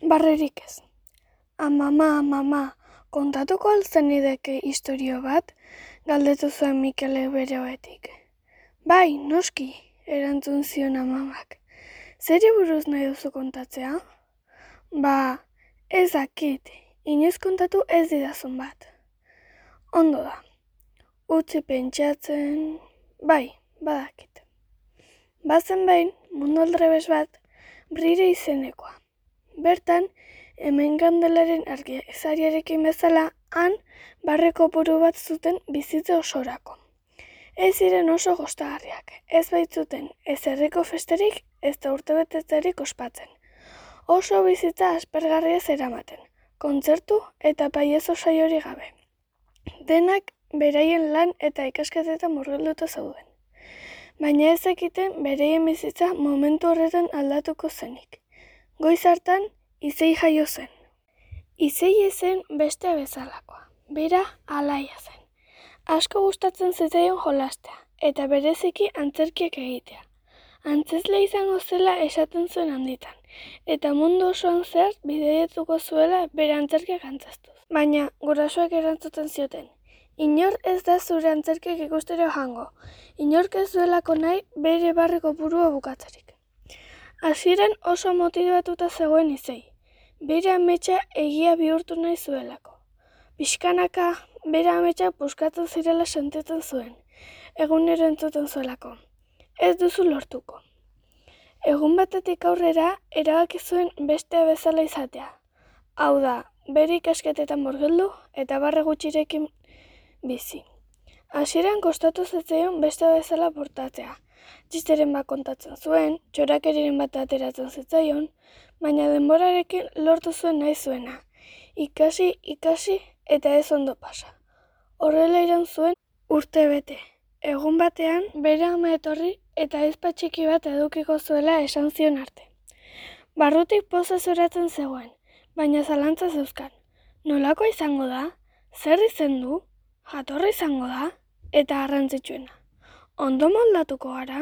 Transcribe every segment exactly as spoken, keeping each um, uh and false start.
Barrerik ez. Amama, mama, kontatuko al zenideke istorio bat? Galdetu zuen Mikelek bere ohetik. Bai, noski, erantzun zion amamak. Zeri buruz nahi duzu kontatzea? Ba, ez dakit, inoiz kontatu ez didazun bat. Ondo da. Utzi pentsatzen... Bai, badakit. Bazen behin, mundu aldrebes bat, Brire izenekoa. Bertan, hemen gandelaren argizariarekin bezala, han barreko buru bat zuten bizitza osorako. Ez ziren oso gostagarriak, ez baitzuten ez herriko festerik, ez da urtebetetzerik ospatzen. Oso bizitza aspergarria zeramaten, kontzertu eta paiezo saiori gabe. Denak beraien lan eta ikasketetan murgilduta zeuden. Baina ez zekiten beraien bizitza momentu horretan aldatuko zenik. Goiz hartan, Izei jaio zen. Izei zen beste bezalakoa, bera alaia zen. Asko gustatzen zitzaion jolastea, eta bereziki antzerkiak egitea. Antzezle izango zela esaten zuen handitan, eta mundu osoan zehar bidaietuko zuela bere antzerkiak antzeztuz. Baina gurasoek erantzuten zioten, inor ez da zure antzerkiak ikustera joango, inork ez duelako nahi bere barreko burua bukatzerik. Hasieran oso motibatuta zegoen Izei, bere ametsa egia bihurtu nahi zuelako. Pixkanaka, bere ametsak puskatu zirela sentitzen zuen, egunero entzuten zuelako. Ez duzu lortuko. Egun batetik aurrera, erabaki zuen beste bezala izatea. Hau da, bere ikasketetan murgildu eta barre gutxirekin bizi. Hasieran kostatu zitzaion beste bezala portatzea. Txisteren bat kontatzen zuen, txorakeriren bat ateratzen zitzaion, baina denborarekin lortu zuen nahi zuena. Ikasi, ikasi eta ez ondo pasa. Horrela iraun zuen urte bete. Egun batean, bere ama etorri eta ezpa txiki bat edukiko zuela esan zion arte. Barrutik poza zoratzen zegoen, baina zalantza zeuzkan. Nolakoa izango da? Zer izen du? Jatorra izango da? Eta garrantzitsuena. Ondo moldatuko gara?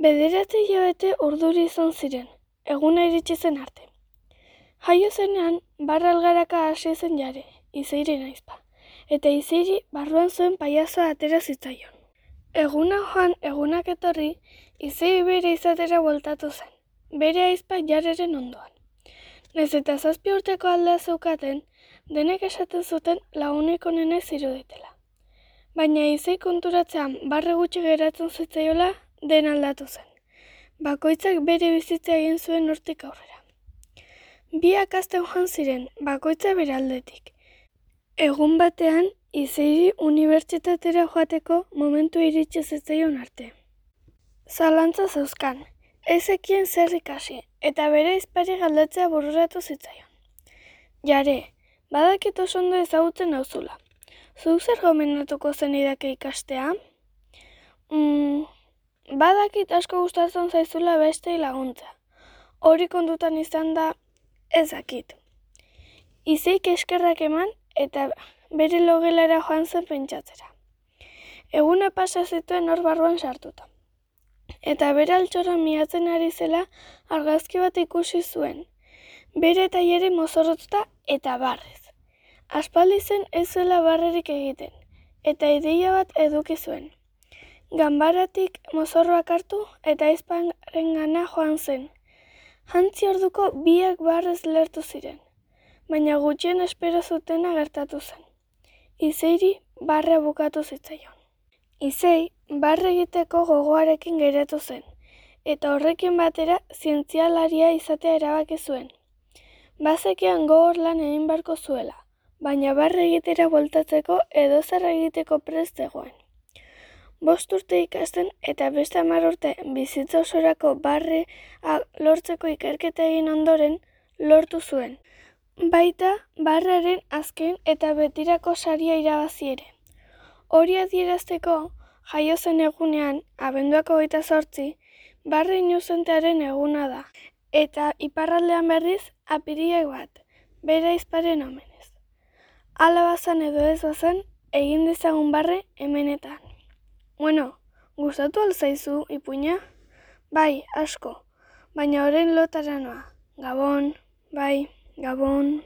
Bederatzi hilabete urduri izan ziren, eguna iritsi zen arte. Jaio zenean, barra algaraka hasi zen jare, Izeiren aizpa, eta Izeiri barruan zuen paiazoa atera zitzaion. Eguna joan, egunak etorri, Izei bere izatera bueltatu zen, bere aizpa jarreren ondoan. Naiz eta zazpi urteko aldea zeukaten, denek esaten zuten lagunik onena ziruditela. Baina Izei konturatzean barre gutxi geratzen zitzaiola den aldatu zen. Bakoitzak bere bizitza egin zuen hortik aurrera. Biak hazten joan ziren, bakoitza bere aldetik. Egun batean, Izeiri unibertsitatera joateko momentu iritsi zitzaion arte. Zalantza zeuzkan, ez zekien zer ikasi, eta bere aizpari galdetzea bururatu zitzaion. Jare, badakit oso ondo ezagutzen nauzula. Zuk zer gomendatuko zenidake ikastea? Mm, badakit asko gustatzen zaizula bestei laguntza. Hori kontutan izan da, ez dakit. Izeik eskerrak eman eta bere logelara joan zen pentsatzera. Eguna pasa zituen hor barruan sartuta. Eta bere altxorra miatzen ari zela argazki bat ikusi zuen. Bere taileri mozorrotuta eta barrez. Aspaldi zen ez zuela barrerik egiten, eta ideia bat eduki zuen. Ganbaratik mozorroak hartu eta aizparengana joan zen. Jantzi orduko biak barrez lertu ziren, baina gutxien espero zutena gertatu zen. Izeiri barrea bukatu zitzaion. Izei barre egiteko gogoarekin geratu zen, eta horrekin batera zientzialaria izatea erabaki zuen. Bazekian gogor lan egin beharko zuela, baina barre egitera bueltatzeko edozer egiteko prest zegoen. Bost urte ikasten eta beste hamar urte bizitza osorako barre lortzeko ikerketa egin ondoren lortu zuen. Baita barrearen azken eta betirako saria irabazi ere. Hori adierazteko, jaio zen egunean, abenduak hogeita zortzi, barre inuzentearen eguna da, eta iparraldean berriz apirilak bat, bere aizparen omenez. Hala bazan edo ez bazan, egin dezagun barre hemenetan. Bueno, gustatu al zaizu, ipuina? Bai, asko, baina orain lotara noa. Gabon. Bai, Gabon.